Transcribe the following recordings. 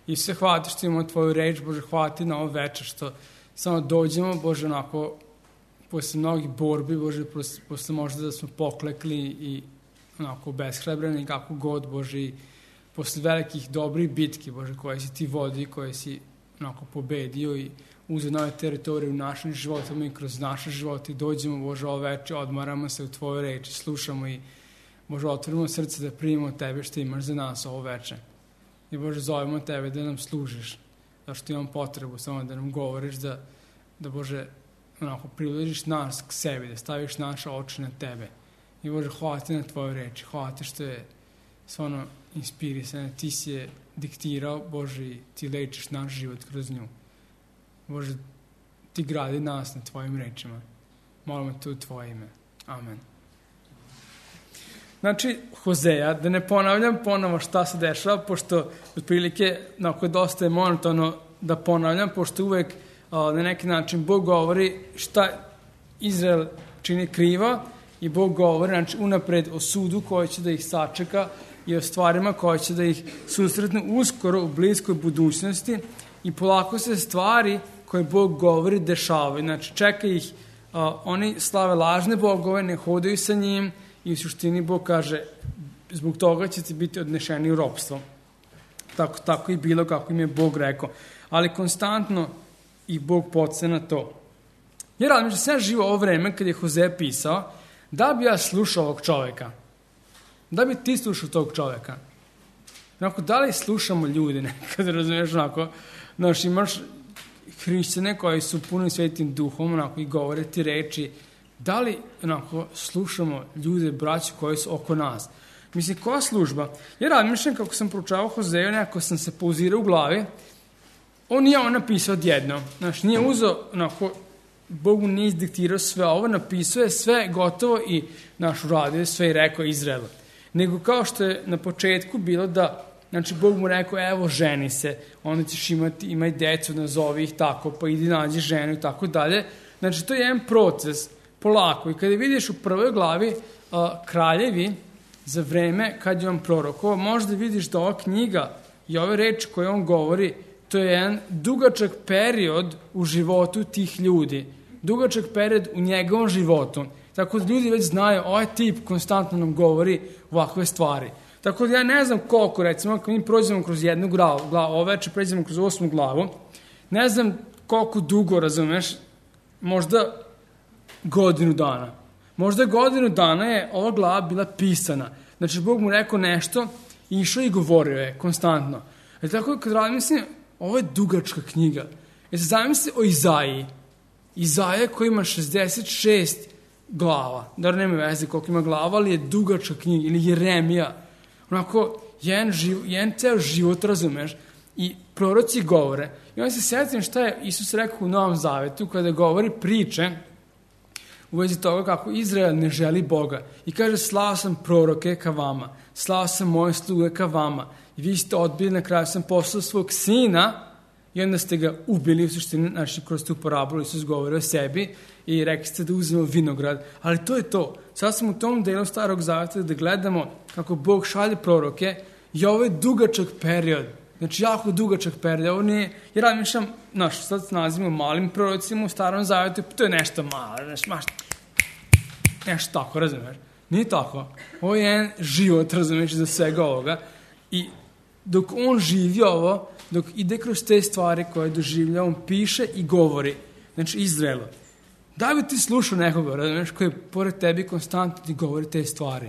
I sve hvala ti što imamo tvoju reč, Bože, hvala ti na ovo večer, što samo dođemo, Bože, onako, posle mnogih borbi, Bože, posle možda da smo poklekli i onako beshrabreni, kako god, Bože, i posle velikih dobrih bitki, Bože, koje si ti vodi, koje si onako pobedio i uzeo nove teritorije u našim životima i kroz naše živote i dođemo, Bože, ovo večer, odmaramo se u tvojoj reči, slušamo i, Bože, otvorimo srce da primimo tebe što imaš za nas ovo večer. I, Bože, zovemo tebe da nam služiš, da što imam potrebu samo da nam govoriš, da Bože, onako, približiš nas k sebi, da staviš naše oči na tebe. I, Bože, hvala ti na tvojoj reči, hvala ti što je stvarno inspirisana, ti si je diktirao, Bože, i ti lečiš naš život kroz nju. Bože, ti gradi nas na tvojim rečima. Molimo te u tvoje ime. Amen. Znači, Hozeja, da ne ponavljam ponovo šta se dešava, pošto otprilike, onako, dosta je monotono da ponavljam, pošto uvek na neki način Bog govori šta Izrael čini krivo i Bog govori, znači, unapred o sudu koji će da ih sačeka i o stvarima koje će da ih susretnu uskoro u bliskoj budućnosti i polako se stvari koje Bog govori dešavaju. Znači, čeka ih, oni slave lažne bogove, ne hodaju sa njim i u suštini Bog kaže, zbog toga ćete biti odnešeni u ropstvo. Tako i bilo kako im je Bog rekao. Ali konstantno ih Bog podsjeća na to. Jer razmišljam, sam živo ovo vreme kad je Hozeja pisao, da bi ja slušao ovog čoveka? Da bi ti slušao tog čoveka? Onako, da li slušamo ljude nekad, razumiješ, onako, znaš, imaš hrišćane koji su puni svetim duhom, onako, i govore ti reči, da li, onako, slušamo ljude, braću koji su oko nas? Mislim, koja služba? Ja razmišljam, kako sam proučavao Hozeju, nekako sam se pauzirao u glavi, on nije on napisao odjedno, znaš, nije uzeo, onako, Bogu nije izdiktirao sve ovo, napisao je sve gotovo i naš uradio sve i rekao Izraelu. Nego kao što je na početku bilo da, znači, Bog mu rekao, evo, ženi se, onda ćeš imaj decu, nazovi ih tako, pa idi nađi ženu i tako dalje. Znači, to je jedan proces, polako. I kada vidiš u prvoj glavi kraljevi za vreme kad je on prorokao, možda vidiš da ova knjiga i ove reči koje on govori, to je jedan dugačak period u životu tih ljudi. Dugačak period u njegovom životu. Tako da ljudi već znaju, ovaj tip konstantno nam govori ovakve stvari. Tako da ja ne znam koliko, recimo, ako mi prođemo kroz jednu glavu, ovo večer pređemo kroz 8. glavu, ne znam koliko dugo, razumeš, možda godinu dana. Možda godinu dana je ova glava bila pisana. Znači, Bog mu rekao nešto, išao i govorio je konstantno. E tako, kad razmislim, ovo je dugačka knjiga. Zamisli o Izaiji. Izaija koji ima 66 glava. Dobro, nema veze koliko ima glava, ali je dugačka knjiga. Ili Jeremija. Onako, jedan ceo život, razumeš, i proroci govore. I onda se sjetim šta je Isus rekao u Novom Zavetu, kada govori priče u vezi toga kako Izrael ne želi Boga. I kaže, slao sam proroke ka vama, slao sam moje sluge ka vama. I vi ste odbili, na kraju sam poslao svog sina i onda ste ga ubili, u suštini, znači, kroz tu parabolu Isus govori o sebi i rekli ste da uzmemo vinograd. Ali to je to. Sad smo u tom delu Starog Zaveta da gledamo kako Bog šalje proroke i ovo je dugačak period. Znači, jako dugačak period. Ovo nije, jer razmišljam, znaš, sad se nazivamo malim prorocima u Starom Zavetu, to je nešto malo, nešto tako, razumiješ? Nije tako. Ovo je jedan život, razumiješ, za svega ovoga. I dok on živi ovo, dok ide kroz te stvari koje doživlja, on piše i govori. Znači, Izraelu. Da bi ti slušao nekoga, razumiješ, koji pored tebi konstantno ti govori te stvari.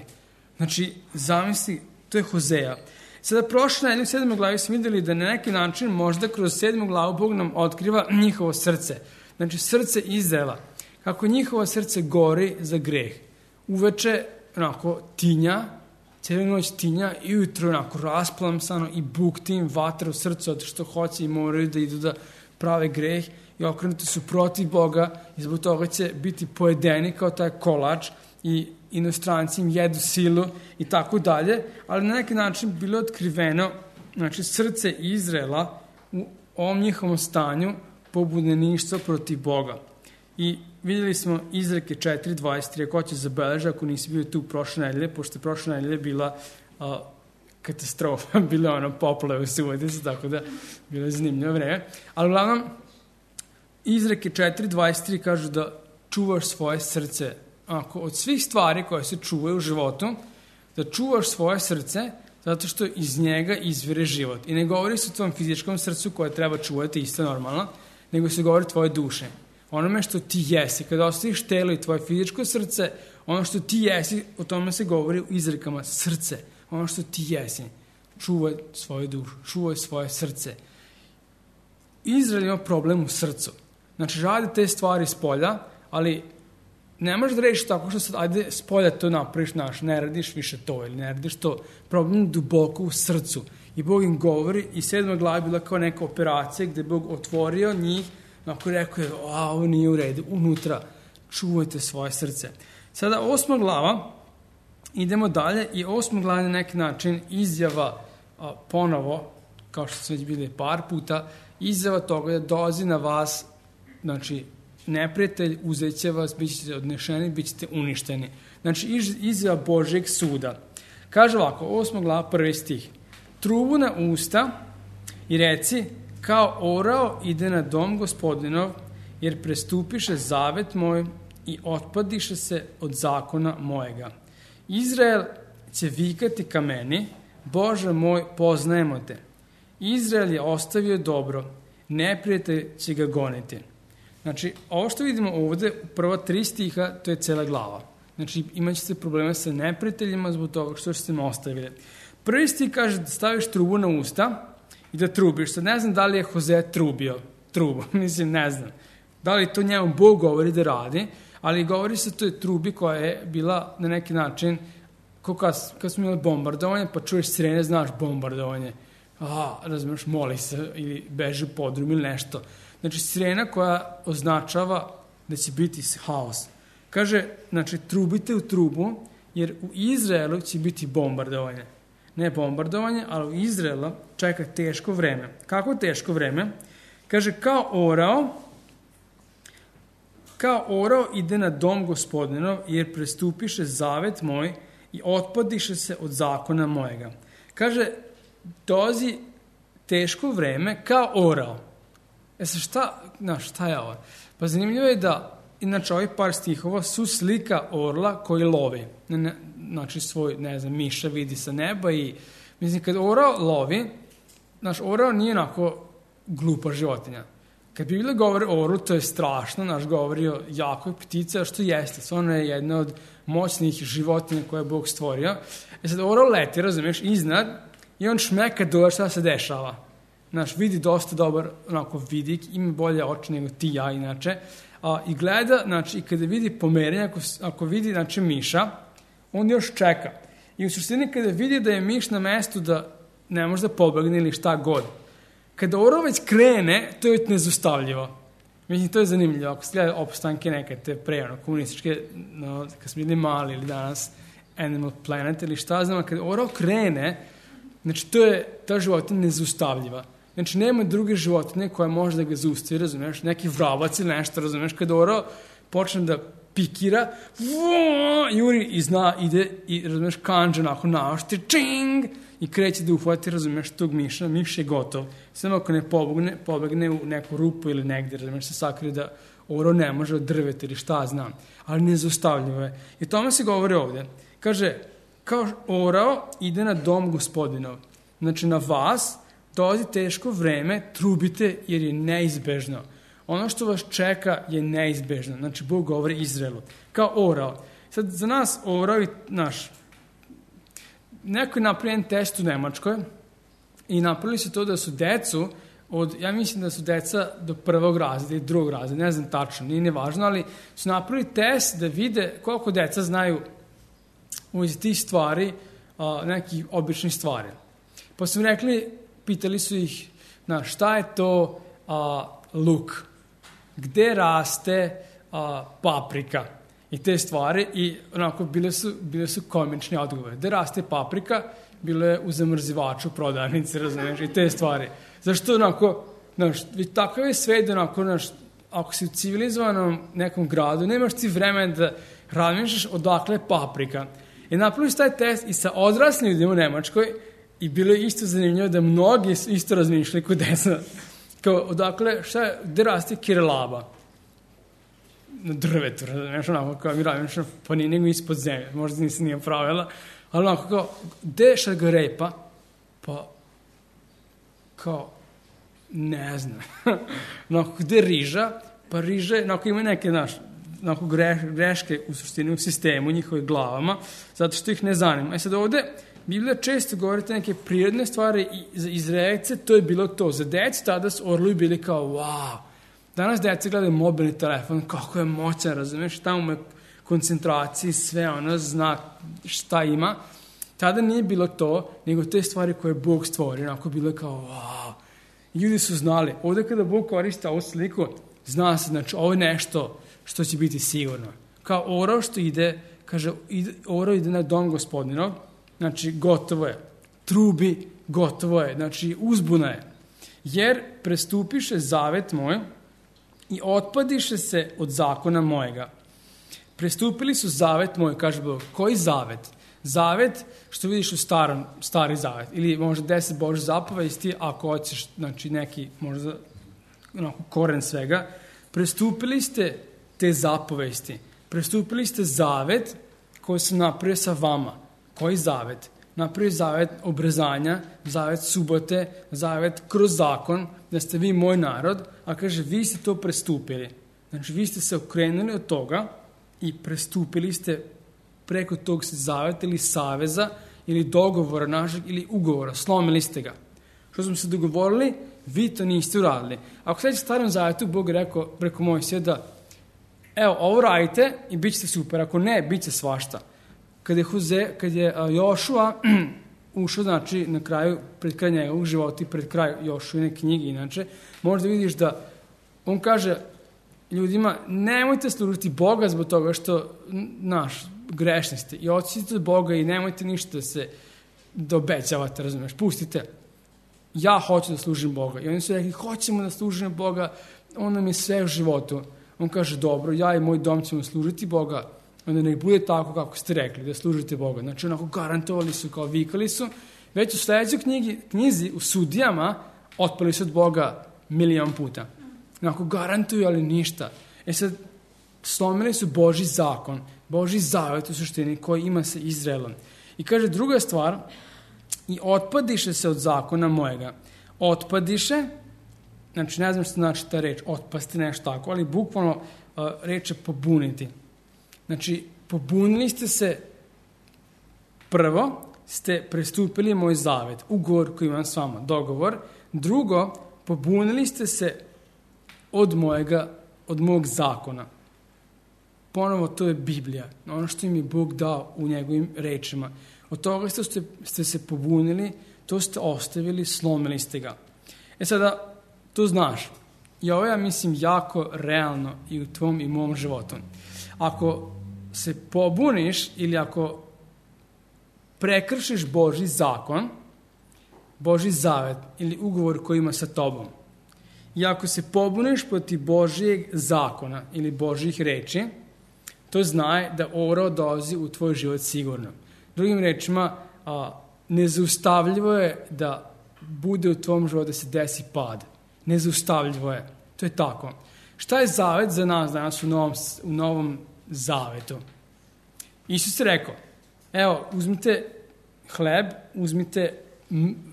Znači, zamisli, to je Hozeja. Sada prošle nedelje u 7. glavi smo vidjeli da na neki način možda kroz 7. glavu Bog nam otkriva njihovo srce. Znači, srce Izraela. Kako njihovo srce gori za greh. Uveče, onako, tinja, cijelu noć tinja i ujutro, onako, rasplamsano i bukti im vatra u srcu od što hoće i moraju da idu da prave greh i okrenuti su protiv Boga i zbog toga će biti pojedeni kao taj kolač i inostranci im jedu silu i tako dalje, ali na neki način bilo je otkriveno, znači, srce Izraela u ovom njihovom stanju pobunjeništva protiv Boga. I vidjeli smo Izreke 4.23, ako će zabeležiti, ako nisi bio tu prošle nedelje, pošto je prošle nedelje bila katastrofa, bilo poplave u Subotici, tako da bilo je zanimljivo vreme. Ali uglavnom, izreke 4.23 kažu da čuvaš svoje srce. Od svih stvari koje se čuvaju u životu, da čuvaš svoje srce, zato što iz njega izvire život. I ne govori se o tvom fizičkom srcu koje treba čuvati, isto normalno, nego se govori tvoje duše. Onome što ti jesi. Kada ostaviš telo i tvoje fizičko srce, ono što ti jesi, o tome se govori u izrekama srce. Ono što ti jesi. Čuvaj svoju dušu, čuvaj svoje srce. Izrael ima problem u srcu. Znači, radi te stvari s polja, ali ne možeš da rešiš tako što sad, ajde, s polja to napraviš, ne radiš više to ili ne radiš to. Problem duboko u srcu. I Bog im govori, i 7. glava je bila kao neka operacija gde Bog otvorio njih, ako je rekao, ovo nije u redu, unutra, čuvajte svoje srce. Sada 8. glava, idemo dalje, i 8. glava na neki način izjava ponovo, kao što su već bili par puta, izjava toga da dolazi na vas, znači, neprijatelj, uzet će vas, bit ćete odnešeni, bit ćete uništeni. Znači, izjava Božjeg suda. Kaže ovako, 8. glava, 1. stih. Trubu na usta i reci, kao orao ide na dom Gospodinov, jer prestupiše zavet moj i otpadiše se od zakona mojega. Izrael će vikati ka meni, Bože moj, poznajemo te. Izrael je ostavio dobro, neprijatelj će ga goniti. Znači, ovo što vidimo ovde, u prva 3 stiha, to je cela glava. Znači, imat ćete probleme sa neprijateljima zbog toga što ste me ostavili. Prvi stih kaže da staviš trubu na usta i da trubiš. Sad ne znam da li je Hoze trubio trubu, mislim, ne znam. Da li to njemu Bog govori da radi, ali govori se o toj trubi koja je bila na neki način, kao kad smo imali bombardovanje, pa čuješ sirene, znaš bombardovanje. Razumiješ, moli se ili beži u podrum ili nešto. Znači, sirena koja označava da će biti haos. Kaže, znači, trubite u trubu, jer u Izraelu će biti bombardovanje. Ne bombardovanje, ali u Izraelu čeka teško vreme. Kako teško vreme? Kaže, kao orao ide na dom Gospodinov, jer prestupiše zavet moj i otpadiše se od zakona mojega. Kaže, dolazi teško vreme kao orao. Šta je ovo? Pa zanimljivo je da, inače, ovih par stihova su slika orla koji lovi. Znači, svoj, miša vidi sa neba i, mislim, kad orao lovi, orao nije onako glupa životinja. Kad Biblija govori o orlu, to je strašno, govori o jakoj ptici, a što jeste, ona je jedna od moćnih životinja koje je Bog stvorio. Sad, orao leti, razumiješ, iznad, i on šmeka dole šta se dešava. Vidi dosta dobar, vidik, ima bolje oči nego ti ja, inače. I gleda, i kada vidi pomerenje, ako vidi, miša, on još čeka. I u suštini kada vidi da je miš na mestu da ne može da pobegne ili šta god. Kada orao već krene, to je nezaustavljivo. Mislim, to je zanimljivo. Ako se gleda opstanke neke, te komunističke, kad smo bili mali ili danas, Animal Planet ili šta znam, kada orao krene, znači, ta životinja nezaustavljiva. Znači, nema druge životinje koja može da ga zaustavi, razumiješ, neki vravac ili nešto, razumiješ, kada orao počne da pikira, juri i ide i, razumiješ, kanđa onako naoštri, čing, i kreće da uhvati, razumiješ, tog miša, miš je gotov. Samo ako ne pobegne u neku rupu ili negdje, razumiješ, se sakrije da orao ne može od drveta ili šta znam, ali nezaustavljivo je. I o tome se govori ovdje. Kaže, kao orao ide na dom Gospodinov. Znači, na vas dolazi teško vreme, trubite jer je neizbežno. Ono što vas čeka je neizbežno. Znači, Bog govori Izraelu. Kao orao. Sad, za nas orao i neko je napravljen test u Nemačkoj i napravili su to da su decu ja mislim da su deca do 1. razreda i 2. razreda, ne znam tačno, nije nevažno, ali su napravili test da vide koliko deca znaju iz tih stvari, nekih običnih stvari. Pa su rekli, pitali su ih, šta je to luk? Gde raste paprika? I te stvari, i onako bile su komični odgovore. Gde raste paprika? Bilo je u zamrzivaču, prodavnici, razumiješ, i te stvari. Zašto onako, takav je svet, onako, ako si u civilizovanom nekom gradu, nemaš ti vremena da razmišljaš odakle je paprika. I napravili su taj test i sa odraslim ljudima u Nemačkoj I bilo je isto zanimljivo da mnogi isto razmišljali kod desa. Kao, odakle, gde raste kirelaba? Na drvetu, razumiješ, onako, kao mi radim, pa nije nego ispod zemlje, možda nisam nije pravila, ali onako, kao, gde je šargarepa? Pa, kao, ne znam. Onako, gde je riža? Pa riža, onako, ima neke, onako, greške u suštini u sistemu, u njihovim glavama, zato što ih ne zanima. Sad ovde, Biblija često govorite neke prirodne stvari i za Izraelce to je bilo to. Za decu tada su orlovi bili kao, wow. Danas deca gledaju mobilni telefon, kako je moćan, razumiješ, tamo je koncentraciji, sve ono, zna šta ima. Tada nije bilo to, nego te stvari koje Bog stvori, onako bilo je kao, wow. Ljudi su znali, ovdje kada Bog koristi ovu sliku, zna se, znači, ovo je nešto što će biti sigurno. Kao orao što ide, kaže, orao ide na dom Gospodinov, znači, gotovo je. Trubi, gotovo je. Znači, uzbuna je. Jer prestupiše zavet moj i otpadiše se od zakona mojega. Prestupili su zavet moj, kaže Bog. Koji zavet? Zavet, što vidiš u stari zavet. Ili možda 10 Božjih zapovesti, ako hoćeš, znači, neki, možda, onako, koren svega. Prestupili ste te zapovesti. Prestupili ste zavet koji sam napravio sa vama. Koji zavet? Napravi zavet obrezanja, zavet subote, zavet kroz zakon, da ste vi moj narod, a kaže, vi ste to prestupili. Znači, vi ste se okrenuli od toga i prestupili ste preko tog zaveta ili saveza ili dogovora našeg ili ugovora, slomili ste ga. Što smo se dogovorili, vi to niste uradili. Ako sad u starom zavetu, Bog je rekao preko Mojsija da, evo, ovo radite i bit ćete super, ako ne, bit će svašta. Kad je Jošua ušao, znači, na kraju, pred kraj njegovog života i pred kraj Jošuine knjige, inače, možda vidiš da on kaže ljudima, nemojte služiti Boga zbog toga što, grešni ste i odsjetite od Boga i nemojte ništa da obećavate, razumiješ, pustite. Ja hoću da služim Boga. I oni su rekli, hoćemo da služimo Boga, on nam je sve u životu. On kaže, dobro, ja i moj dom ćemo služiti Boga, onda nek bude tako kako ste rekli, da služite Boga. Znači, onako garantovali su, kao vikali su. Već u sljedećoj knjizi, u Sudijama, otpali su od Boga 1.000.000 puta. Onako garantuju, ali ništa. Sad, slomili su Božji zakon, Božji zavet u suštini koji ima sa Izraelom. I kaže druga stvar, i otpadiše se od zakona mojega. Otpadiše, znači ne znam što znači ta reč, otpasti nešto tako, ali bukvalno reč je pobuniti. Znači, pobunili ste se, prvo ste prestupili moj zavet, ugovor koji imam s vama, dogovor. Drugo, pobunili ste se od mog zakona. Ponovo, to je Biblija, ono što im je Bog dao u njegovim rečima. Od toga ste se pobunili, to ste ostavili, slomili ste ga. Sada, to znaš. I ovo ja mislim jako realno i u tvom i mom životu. Ako se pobuniš ili ako prekršiš Božji zakon, Božji zavet ili ugovor koji ima sa tobom, i ako se pobuniš protiv Božjeg zakona ili Božjih reči, to znaj da orao dolazi u tvoj život sigurno. Drugim rečima, nezaustavljivo je da bude u tvom životu da se desi pad. Nezaustavljivo je. To je tako. Šta je zavet za nas danas u novom zavetu? Isus je rekao, evo, uzmite hleb, uzmite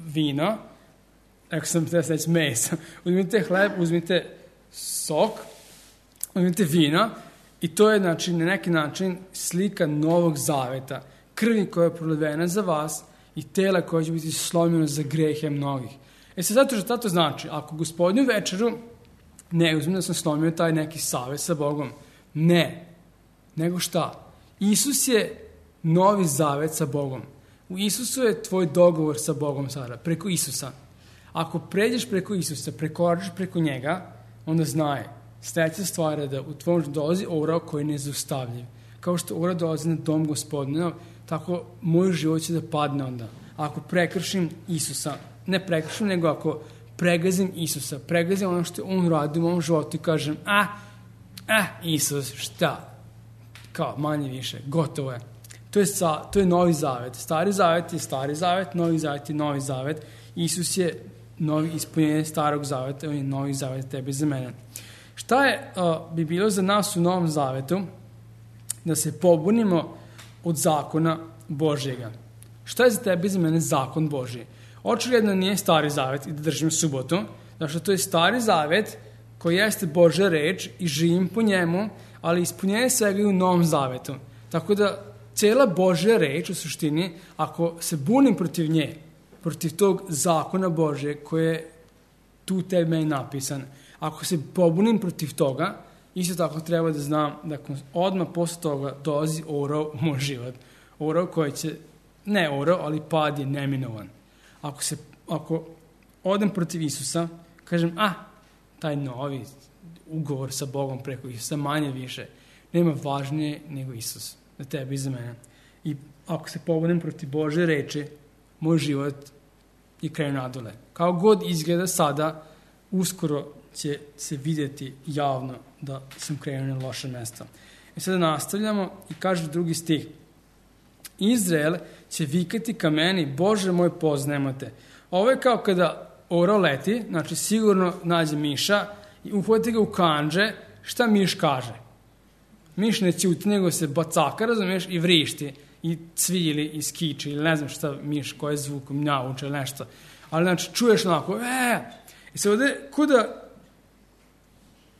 vino, rekao sam da se reći mesa, uzmite hleb, uzmite sok, uzmite vino i to je, znači, na neki način slika novog zaveta, krvi koja je prolivena za vas i tela koja će biti slomljeno za grehe mnogih. Zato što to znači, ako Gospodnju večeru ne uzmem da sam slomio taj neki savez sa Bogom, ne, nego šta? Isus je novi zavet sa Bogom. U Isusu je tvoj dogovor sa Bogom sada, preko Isusa. Ako pređeš preko Isusa, prekoračiš preko njega, onda znaj, sljedeća stvar je da u tvom dolazi orao koji je nezaustavljiv. Kao što orao dolazi na dom Gospodinov, tako moj život će da padne onda. Ako prekršim Isusa, ne prekršim, nego ako pregazim Isusa, pregazim ono što on radi u mom životu i kažem, Isus, šta? Kao, manje više, gotovo je. To je Novi Zavet. Stari Zavet je Stari Zavet, Novi Zavet je Novi Zavet. Isus je novi ispunjenje Starog Zaveta, on je Novi Zavet tebe za mene. Šta bi bilo za nas u Novom Zavetu? Da se pobunimo od zakona Božjega. Šta je za tebe i za mene zakon Božji? Očigledno nije Stari Zavet i da držim subotu, zato što to je Stari Zavet koji jeste Božja reč i živim po njemu, ali ispunjenje svega i u Novom Zavetu. Tako da cijela Božja reč u suštini, ako se bunim protiv nje, protiv tog zakona Božje koji je tu tebi meni napisan, ako se pobunim protiv toga, isto tako treba da znam da odmah posle toga dolazi orao u moj život. Orao koji će, ne orao, ali pad je neminovan. Ako odem protiv Isusa, kažem, taj novi ugovor sa Bogom preko Isusa, manje više, nema važnije nego Isus, za tebe i za mene. I ako se pobunim protiv Božje reči, moj život je krenu nadole. Kao god izgleda sada, uskoro će se vidjeti javno da sam krenuo na loše mesto. I sada nastavljamo i kaže drugi stih. Izrael će vikati ka meni, Bože moj, poznajemo te. Ovo je kao kada orao leti, znači sigurno nađe miša i uhvati ga u kandže, šta miš kaže? Miš ne ćuti, nego se bacaka, razumiješ, i vrišti, i cvili, i skiči, ili ne znam šta miš, koje zvukom nauče, ili nešto. Ali znači čuješ onako, I se ovdje, kuda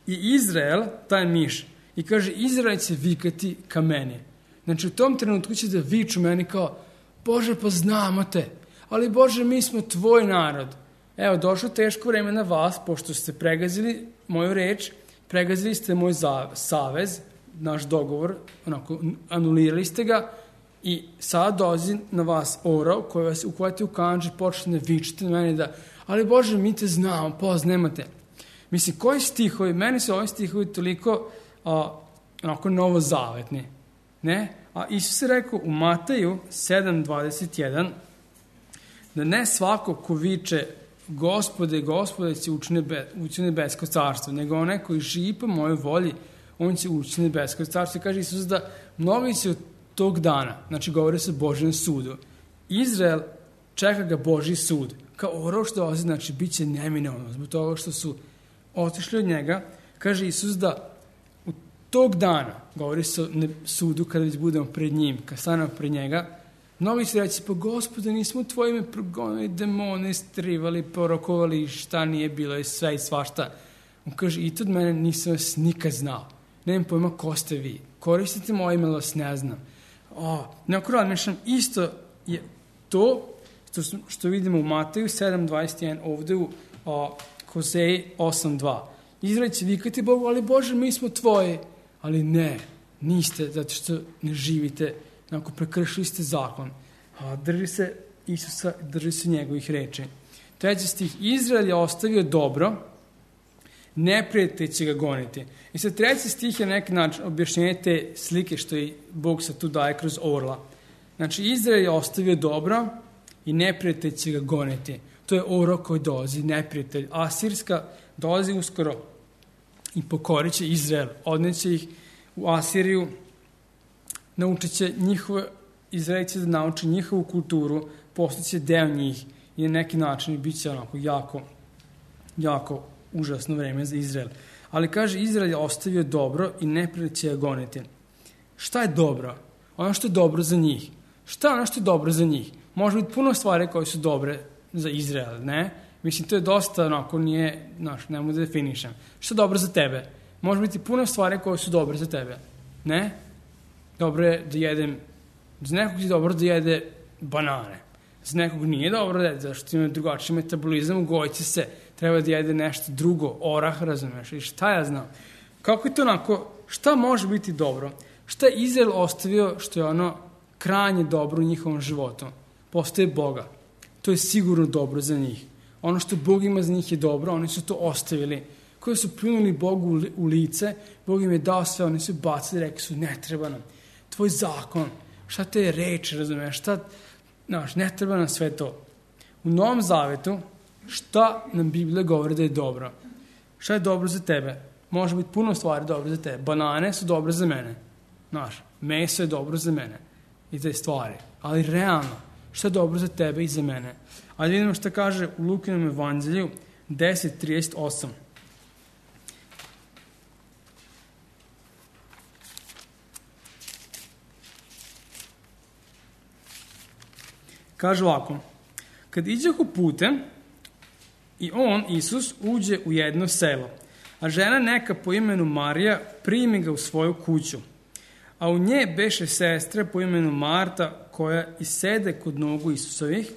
je Izrael, taj miš, i kaže, Izrael će vikati ka meni. Znači, u tom trenutku će da viču meni kao, Bože, pa znamo te, ali Bože, mi smo tvoj narod. Evo, došlo teško vreme na vas, pošto ste pregazili moju reč, pregazili ste moj savez, naš dogovor, onako, anulirali ste ga, i sad dolazi na vas orao koji vas uhvati u kandži, počne vičiti na meni da, ali Bože, mi te znamo, poznajemo te. Mislim, koji stihovi, meni su ovi stihovi toliko onako novozavetni, ne? A Isus je rekao u Mateju 7:21 da ne svako ko viče Gospode, Gospode će ući u nebesko carstvo, nego onaj koji živi po mojoj volji, on će ući u nebesko carstvo. I kaže Isus da mnogi će od tog dana, znači govori se o Božjem sudu. Izrael čeka ga Božji sud. Kao orao što dolazi, znači bit će neminovno zbog toga što su otišli od njega. Kaže Isus da u tog dana, govori se o sudu kada već budemo pred njim, kad stanemo pred njega, mnogi će reći, pa Gospode, nismo tvojime progonili demone, istrivali, porokovali, šta nije bilo i sve i svašta. On kaže, i to od mene nisam vas nikad znao. Nemam pojma ko ste vi. Koristite moje ime, vas ne znam. Neko razmišljam, isto je to što vidimo u Mateju 7:21, ovdje u Hoseji 8:2. Izrael će vikati Bogu, ali Bože, mi smo tvoji. Ali ne, niste, zato što ne živite, onako prekršili ste zakon. Drži se Isusa, drži se njegovih reči. 3. stih, Izrael je ostavio dobro, neprijatelj će ga goniti. I sad 3. stih je neki način objašnjenje te slike što i Bog se tu daje kroz orla. Znači, Izrael je ostavio dobro i neprijatelj će ga goniti. To je orao koji dolazi, neprijatelj. Asirska dolazi uskoro i pokorit će Izrael. Odneće ih u Asiriju, naučit će Izraelci da nauči njihovu kulturu, postaće deo njih i na neki način bit će onako jako užasno vreme za Izrael. Ali kaže, Izrael je ostavio dobro i neprijatelj će ga goniti. Šta je dobro? Ono što je dobro za njih. Šta je ono što je dobro za njih? Može biti puno stvari koje su dobre za Izrael, ne? Mislim, to je dosta, onako, nije, ne mogu da definišem. Šta je dobro za tebe? Može biti puno stvari koje su dobre za tebe, ne? Dobro je da jedem, za nekog je dobro da jede banane. Za nekog nije dobro da jede, zašto ima drugačiji metabolizam, ugojiće se, treba da jede nešto drugo, orah, razumeš, i šta ja znam. Kako je to onako, šta može biti dobro? Šta je Izrael ostavio što je ono krajnje dobro u njihovom životu? Postoje Boga. To je sigurno dobro za njih. Ono što Bog ima za njih je dobro, oni su to ostavili. Koji su pljunuli Bogu u lice, Bog im je dao sve, oni su bacili, rekli su, ne treba nam tvoj zakon, šta te je reč, razumiješ, ne treba nam sve to. U Novom Zavetu, šta nam Biblija govori da je dobro? Šta je dobro za tebe? Može biti puno stvari dobro za tebe. Banane su dobre za mene. Meso je dobro za mene. i te stvari, ali realno, šta je dobro za tebe i za mene. Ali vidimo šta kaže u Lukinom evanđelju 10:38. Kaže ovako, kad iđehu putem i on, Isus, uđe u jedno selo, a žena neka po imenu Marija primi ga u svoju kuću. A u nje beše sestra po imenu Marta, koja i sede kod nogu Isusovih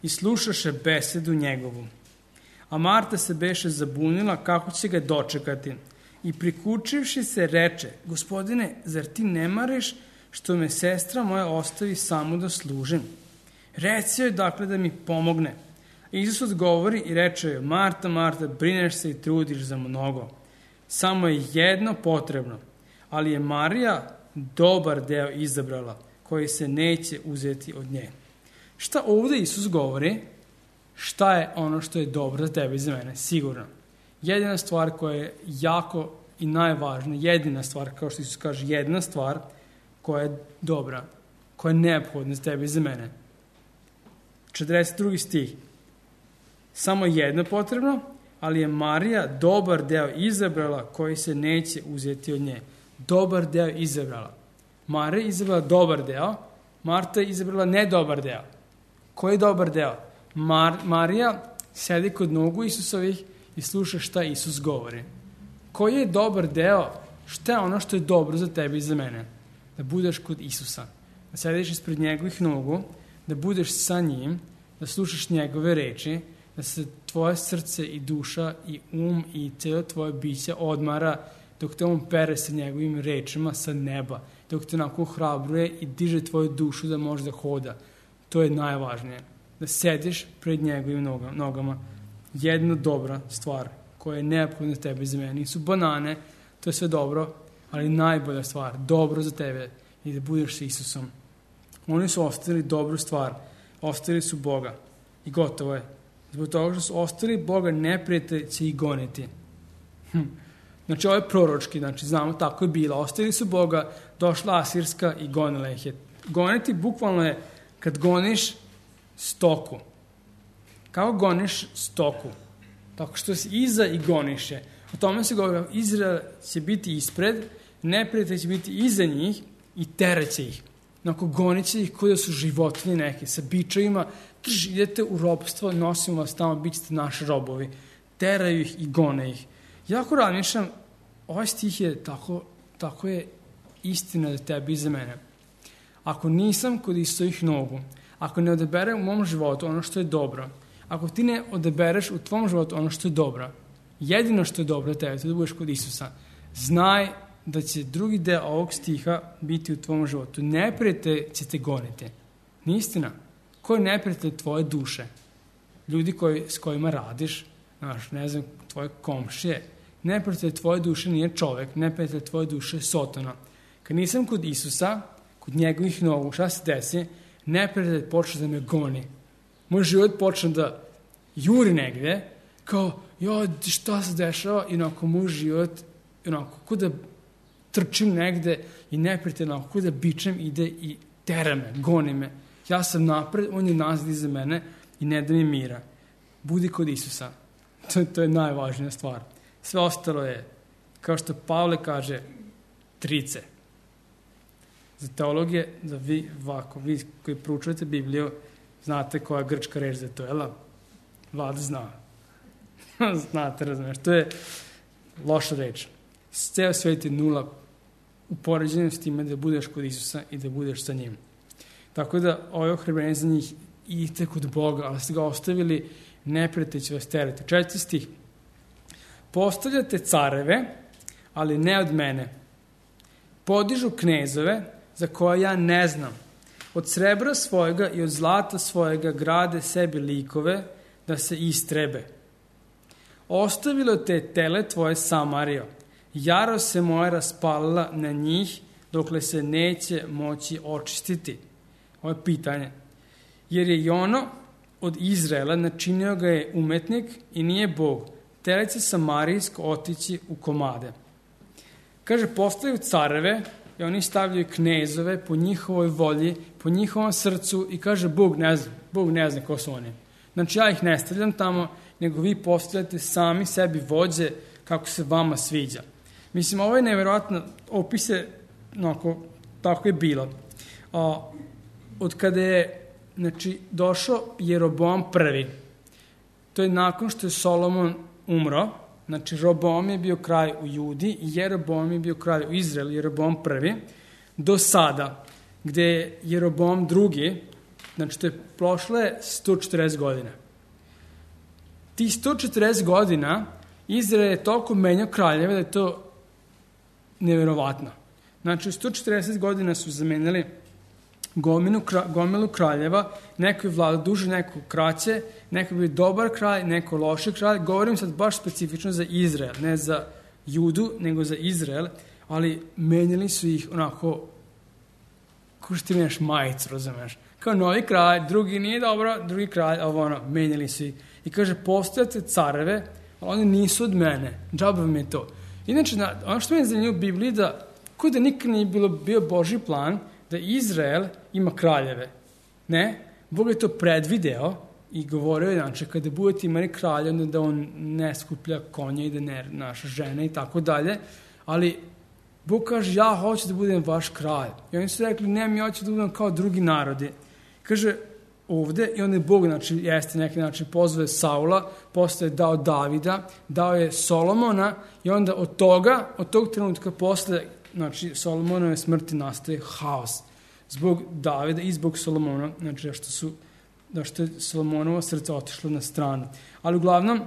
i slušaše besedu njegovu. A Marta se beše zabunila kako će ga dočekati i prikučivši se reče, Gospodine, zar ti ne mariš što me sestra moja ostavi samo da služim? Reci joj dakle da mi pomogne. Isus odgovori i reče joj, Marta, Marta, brineš se i trudiš za mnogo. Samo je jedno potrebno, ali je Marija dobar deo izabrala, koji se neće uzeti od nje. Šta ovde Isus govori? Šta je ono što je dobro za tebe i za mene? Sigurno. Jedina stvar koja je jako i najvažnija, jedina stvar, kao što Isus kaže, jedna stvar koja je dobra, koja je neophodna za tebe i za mene. 42. stih. Samo jedno potrebno, ali je Marija dobar deo izabrala koji se neće uzeti od nje. Dobar deo izabrala. Marija je izabrala dobar deo, Marta je izabrala nedobar deo. Koji je dobar deo? Marija sedi kod nogu Isusovih i sluša šta Isus govori. Koji je dobar deo? Šta je ono što je dobro za tebe i za mene? Da budeš kod Isusa, da sediš ispred njegovih nogu, da budeš sa njim, da slušaš njegove reči, da se tvoje srce i duša i i cijelo tvoje biće odmara dok te on pere sa njegovim rečima sa neba, dok te onako hrabruje i diže tvoju dušu da može da hoda. To je najvažnije. Da sediš pred njegovim nogama. Jedna dobra stvar koja je neophodna za tebe i za mene. Nisu banane, to je sve dobro, ali najbolja stvar, dobro za tebe i da budeš sa Isusom. Oni su ostavili dobru stvar, ostavili su Boga i gotovo je. Zbog toga što su ostavili Boga, neprijatelj će ih goniti. Znači, ovo je proročki, znači, znamo, tako je bilo. Ostavili su Boga, došla Asirska i gonila ih je. Goniti bukvalno je kad goniš stoku. Kako goniš stoku? Tako što si iza i goniš je. O tome se govori, Izrael će biti ispred, neprijatelj će biti iza njih i teraće ih. Onako gonit će ih kao da su životinje neke, sa bičevima, idete u robstvo, nosimo vas tamo, bit ćete naši robovi. Teraju ih i gone ih. Jako razmišljam, ovaj stih je tako je istina za tebe i za mene. Ako nisam kod Isusovih nogu, ako ne odaberem u mom životu ono što je dobro, ako ti ne odabereš u tvom životu ono što je dobro, jedino što je dobro za tebe, to da budeš kod Isusa, znaj da će drugi deo ovog stiha biti u tvom životu. Neprijatelj će te goniti. Nije istina. Ko je neprijatelj tvoje duše? Ljudi s kojima radiš, znaš, ne znam, tvoje komšije. Neprijatelj tvoje duše nije čovek, neprijatelj tvoje duše je Sotona. Kad nisam kod Isusa, kod njegovih nogu, šta se desi? Neprijatelj počne da me goni. Moj život počne da juri negde, kao, šta se dešava? I onako moj život, onako, ko da trčim negde i neprijatelj, onako, ko da bičem, ide i tera me, goni me. Ja sam napred, on je nazad iza mene i ne da mi mira. Budi kod Isusa. To je najvažnija stvar. Sve ostalo je, kao što Pavle kaže, trice. Za teologije, da vi koji proučujete Bibliju, znate koja je grčka reč za to, jel? Vlada zna. Znate, razumiješ. To je loša reč. Ceo svet je nula u poređenju s time da budeš kod Isusa i da budeš sa njim. Tako da ovo ohrabrenje za njih idite kod Boga, ali ste ga ostavili, neprijatelj će vas terati. 4. stih. Postavljate careve, ali ne od mene. Podižu knezove, za koje ja ne znam. Od srebra svojega i od zlata svojega grade sebi likove da se istrebe. Ostavilo te tele tvoje Samarijo. Jarost se moja raspalila na njih, dokle se neće moći očistiti. Ovo je pitanje. Jer je Jono od Izraela načinio ga je umetnik i nije Bog. Telice Samarijsko otići u komade. Kaže, postavljaju careve, i oni stavljaju knezove po njihovoj volji, po njihovom srcu i kaže Bog ne zna ko su oni. Znači ja ih ne stavljam tamo, nego vi postavljate sami sebi vođe kako se vama sviđa. Mislim, ovo je nevjerojatno, opise, tako je bilo. Od kada je došao Jeroboam prvi, to je nakon što je Solomon umro, znači Roboam je bio kralj u Judi i Jeroboam je bio kralj u Izraelu, Jeroboam prvi, do sada, gde je Jeroboam drugi, znači to je prošle 140 godina. Ti 140 godina Izrael je toliko menjao kraljeve da je to nevjerovatno. Znači u 140 godina su zamenili gomilu kraljeva, neko je vladao duže, neko kraće, neko je bio dobar kralj, neko loši kralj. Govorim sad baš specifično za Izrael, ne za Judu, nego za Izrael, ali menjali su ih onako, kako što ti menjaš majicu, razumeš? Kao novi kralj, drugi nije dobro, drugi kralj, menjali su ih. I kaže, postojate careve, ali oni nisu od mene, džaba vam je to. Inače, ono što meni zanimljivo u Bibliji da, kao da nikad nije bio Božji plan, da Izrael ima kraljeve. Ne, Bog je to predvideo i govorio je, znači, kada budete imali kralja, onda da on ne skuplja konje i da ne naša žena i tako dalje, ali Bog kaže, ja hoću da budem vaš kralj. I oni su rekli, ne, mi hoću da budem kao drugi narodi. Kaže, ovde, i onda je Bog, znači, jeste neki način pozvao Saula, posle je dao Davida, dao je Solomona i onda od tog trenutka posle, znači, Solomonove smrti nastaje haos. Zbog Davida i zbog Solomona, znači, što je Solomonovo srce otišlo na stranu. Ali uglavnom,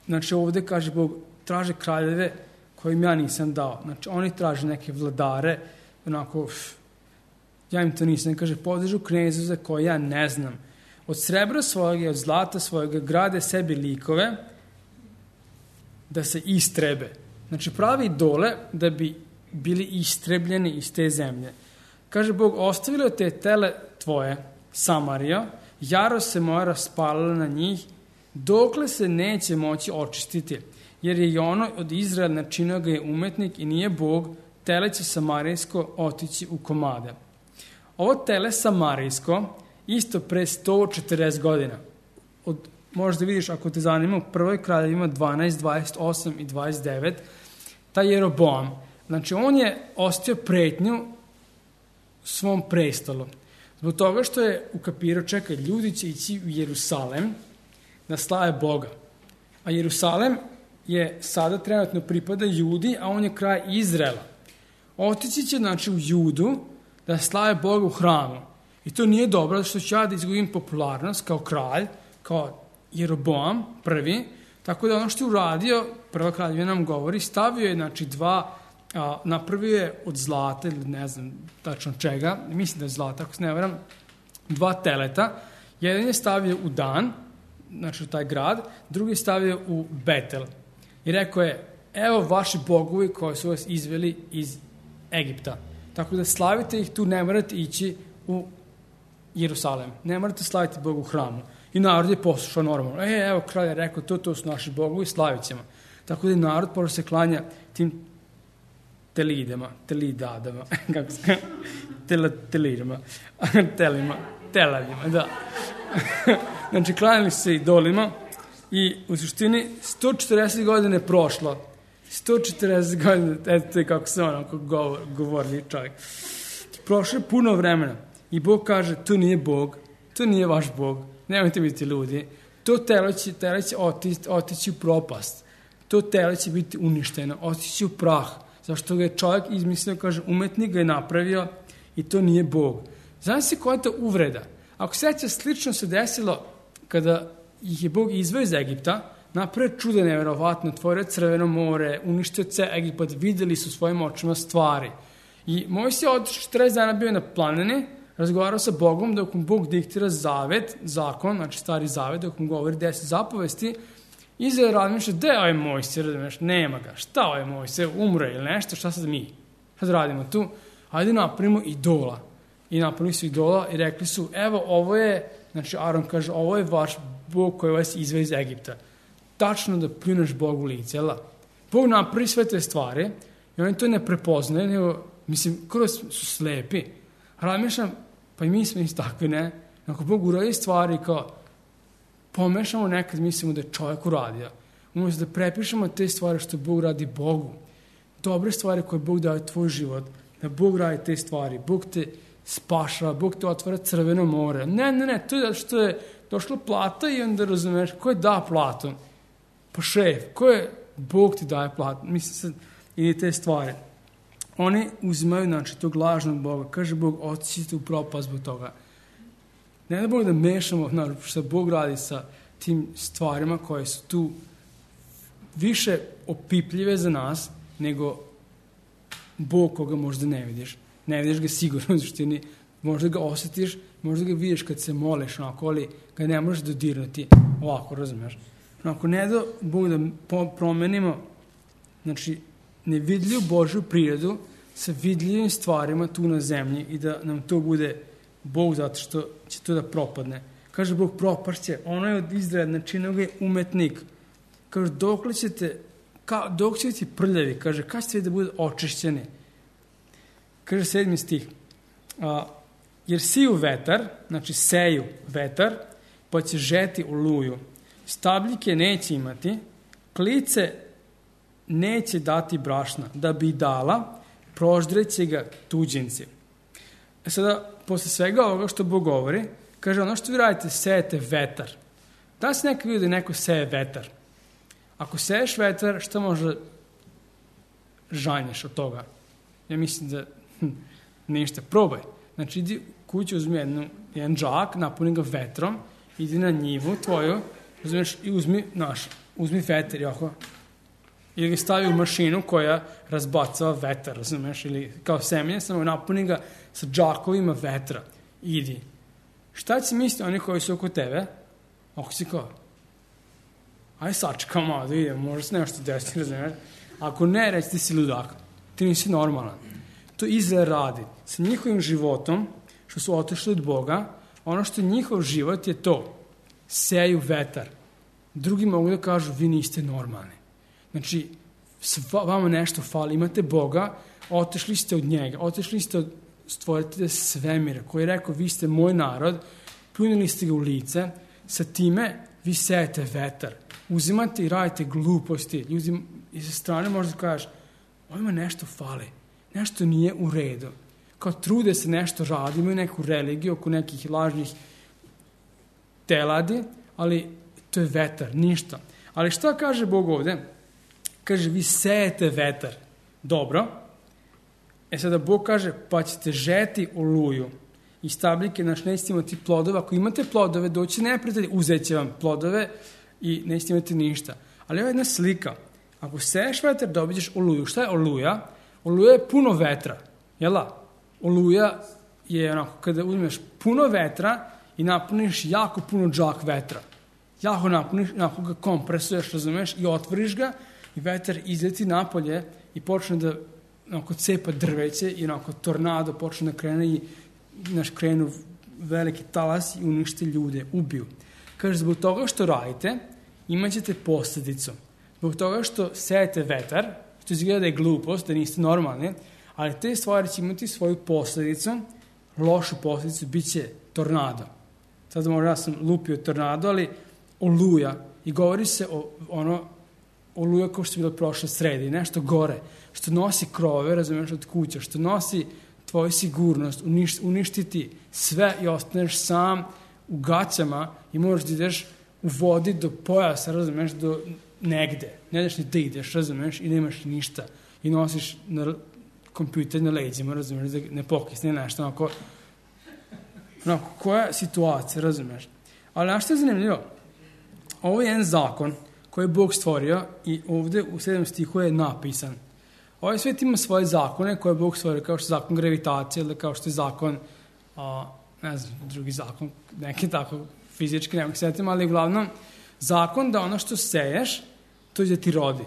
znači, ovde kaže Bog, traže kraljeve kojim ja nisam dao. Znači, oni traže neke vladare, onako, ja im to nisam. Kaže, podižu knezu za koje ja ne znam. Od srebra svojeg i od zlata svojega grade sebi likove da se istrebe. Znači, pravi idole da bi bili istrebljeni iz te zemlje. Kaže Bog, ostavilo te tele tvoje, Samarija, jarost se moja raspalila na njih, dokle se neće moći očistiti, jer je i ono od Izraela načinio ga je umetnik i nije Bog, tele će samarijsko otići u komade. Ovo tele samarijsko, isto pre 140 godina, možda vidiš ako te zanima, u prvoj kraljevima 12, 28 i 29, taj Jeroboam, znači on je ostio pretnju svom prestolu. Zbog toga što je ukapirao, čekaj, ljudi će ići u Jerusalem da slave Boga. A Jerusalem je sada trenutno pripada Judi, a on je kraj Izraela. Otići će, znači, u Judu da slave Boga u hramu. I to nije dobro, što ću ja da izgubim popularnost kao kralj, kao Jeroboam prvi, tako da ono što je uradio, prva kraljevina nam govori, stavio je, znači, napravio je od zlata, ili ne znam tačno čega, mislim da je zlata, ako se ne varam, 2 teleta. Jedan je stavio u Dan, znači u taj grad, drugi je stavio u Betel. I rekao je, evo vaši bogovi koji su vas izveli iz Egipta. Tako da slavite ih tu, ne morate ići u Jerusalem. Ne morate slaviti Bogu u hramu. I narod je poslušao normalno. Evo, kralj je rekao, to su naši bogovi, slavit ćemo. Tako da je narod počeo se klanja tim telidadama, kako se telidama, telavima, da. Znači, klanjali se idolima i u suštini 140 godina je prošlo. 140 godina, eto je kako se onako govorili čovjek. Prošlo je puno vremena i Bog kaže, to nije Bog, to nije vaš Bog, nemojte biti ljudi, to telo će otići u propast, to telo će biti uništeno, otići u prah, zašto ga je čovjek izmislio, kaže, umetnik ga je napravio i to nije Bog. Znam se koja je to uvreda. Ako seća, slično se desilo kada ih je Bog izveo iz Egipta, napravio čudo nevjerovatno, otvorio Crveno more, uništio ceo Egipat, videli su svojim očima stvari. I Mojsije od 40 dana bio na planini, razgovarao sa Bogom dok mu Bog diktira zakon, znači stari zavet, dok mu govori 10 zapovesti, Izrael razmišlja, gde je ovaj Mojsije, razumiješ, nema ga, šta ovaj Mojsije, umre ili nešto, šta sad mi? Sad radimo tu, ajde napravimo idola. I napravili su idola i rekli su, evo ovo je, znači Aron kaže, ovo je vaš Bog koji vas izveo iz Egipta. Tačno da pljuneš Bogu lice, jel da? Bog napravi sve te stvari I oni to ne prepoznaju, nego, mislim, kroz su slepi. Razmišljam, pa i mi smo isto takvi, ne? Ako Bog uradi stvari kao pomešamo nekad, mislimo da je čovjek uradio. Umjesto da prepišemo te stvari što Bog radi Bogu. Dobre stvari koje Bog daje tvoj život, da Bog radi te stvari. Bog te spašava, Bog te otvara crveno more. Ne, to je zato što je došla plata i onda razumeš, ko je da platu? Pa šef, ko je Bog ti daje platu? Mislim sad, i te stvari. Oni uzimaju, znači, tog lažnog Boga. Kaže Bog, otići u propast zbog toga. Ne da Bog da mešamo, znači, što Bog radi sa tim stvarima koje su tu više opipljive za nas, nego Bog koga možda ne vidiš. Ne vidiš ga sigurno u suštini, možda ga osjetiš, možda ga vidiš kad se moliš, onako, ali ga ne možeš dodirnuti ovako, razumiješ? Ako ne da Bog da promenimo, znači, nevidljivu Božju prirodu sa vidljivim stvarima tu na zemlji i da nam to bude Bog zato što će to da propadne. Kaže Bog, propašće, ono je od Izraela, znači nego je umetnik. Kaže, dok ćete biti prljavi, kaže, kad ćete da bude očišćeni? Kaže 7. stih, jer siju vetar, znači seju vetar, pa će žeti oluju. Stabljike neće imati, klice neće dati brašna, da bi dala, proždreće ga tuđinci. Sada, posle svega ovoga što Bog govori, kaže, ono što vi radite, sejete vetar. Da se nekad vidio da neko seje vetar? Ako seješ vetar, šta može žanješ od toga? Ja mislim da ništa. Probaj. Znači, idi kuću, uzmi jedan džak, napuni ga vetrom, idi na njivu tvoju, razumiješ, i uzmi vetar, jako. Ili ga stavi u mašinu koja razbacava vetar, razumiješ, ili kao semenje, samo napuni ga sa džakovima vetra. Idi. Šta će misliti oni koji su oko tebe? Ako si kao, aj sačekaj malo da idem, možda se nešto desiti, razumiješ. Ako ne, reći ti si ludak, ti nisi normalan. To Izrael radi. Sa njihovim životom, što su otišli od Boga, ono što njihov život je to, seju vetar. Drugi mogu da kažu, vi niste normalni. Znači, vama nešto fali, imate Boga, otišli ste od njega, otišli ste od stvoritelja svemira, koji je rekao, vi ste moj narod, pljunili ste ga u lice, sa time vi sejete vetar, uzimate i radite gluposti, ljudi iz strane možda kažeš, ovima nešto fali, nešto nije u redu, kao trude se nešto radi, imaju neku religiju oko nekih lažnih teladi, ali to je vetar, ništa. Ali šta kaže Bog ovde? Kaže, vi sejete vetar. Dobro. Sada Bog kaže, pa ćete žeti oluju. I stabljike, nećete imati plodove. Ako imate plodove, doći neprijatelji, uzet će vam plodove i nećete imati ništa. Ali ovo je jedna slika. Ako seješ vetar, dobit ćeš oluju. Šta je oluja? Oluja je puno vetra. Jela? Oluja je onako, kada uzmeš puno vetra i napuniš jako puno džak vetra. Jako napuniš, onako ga kompresuješ, razumeš, i otvoriš ga, i vetar izleti napolje i počne da onako cepa drveće i onako tornado počne da krene i krenu veliki talas i unište ljude, ubiju. Kaže, zbog toga što radite, imat ćete posljedicu. Zbog toga što sejete vetar, što izgleda da je glupost, da niste normalni, ali te stvari će imati svoju posljedicu, lošu posljedicu, bit će tornado. Sad možda ja sam lupio tornado, ali oluja. I govori se o oluja kao što je bilo prošle sredi, nešto gore, što nosi krove, razumiješ, od kuća, što nosi tvoju sigurnost, uništiti sve i ostaneš sam u gaćama i možeš da ideš u vodi do pojasa, razumiješ, do negde. Ne daš ni da ideš, razumiješ, i nemaš ništa. I nosiš na kompjuter na leđima, razumiješ, da ne pokisne nešto, onako, koja situacija, razumiješ. Ali nešto je zanimljivo. Ovo je jedan zakon koji je Bog stvorio i ovdje u 7. stihu je napisan. Ovaj svijet ima svoje zakone koje je Bog stvorio, kao što je zakon gravitacije ili kao što je zakon, ne znam, drugi zakon, neki tako fizički, nemoj sjetim, ali uglavnom zakon da ono što seješ, to je da ti rodi.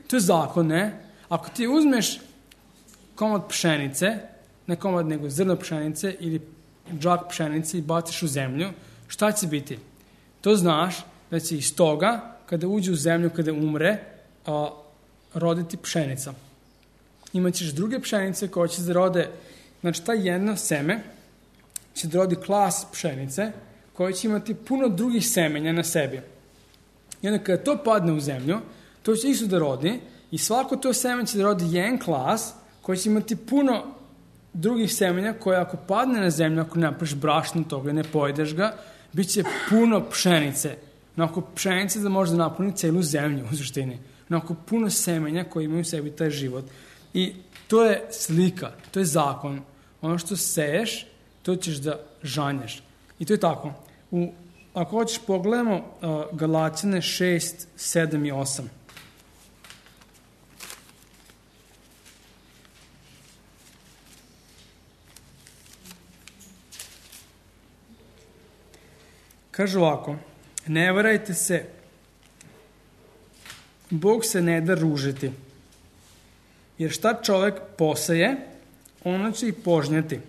To je zakon, ne? Ako ti uzmeš komad pšenice, ne komad nego zrno pšenice ili džak pšenice i baciš u zemlju, šta će biti? To znaš da će iz toga, kada uđe u zemlju, kada umre, roditi pšenica. imaćeš druge pšenice koje će da rode, znači ta jedno seme će da rodi klas pšenice koje će imati puno drugih semenja na sebi. I onda kada to padne u zemlju, to će isto da rodi i svako to seme će da rodi jedan klas koji će imati puno drugih semenja koje ako padne na zemlju, ako napraviš brašno toga i ne pojedeš ga, bit će puno pšenice. Onako pšenice da može da napuni celu zemlju u suštini. Onako puno semenja koji imaju u sebi taj život. I to je slika, to je zakon. Ono što seješ, to ćeš da žanješ. I to je tako. Ako hoćeš pogledamo Galaćane 6, 7 i 8. Kaže ovako, ne varajte se, Bog se ne da ružiti, jer šta čovek poseje, ono će i požnjati.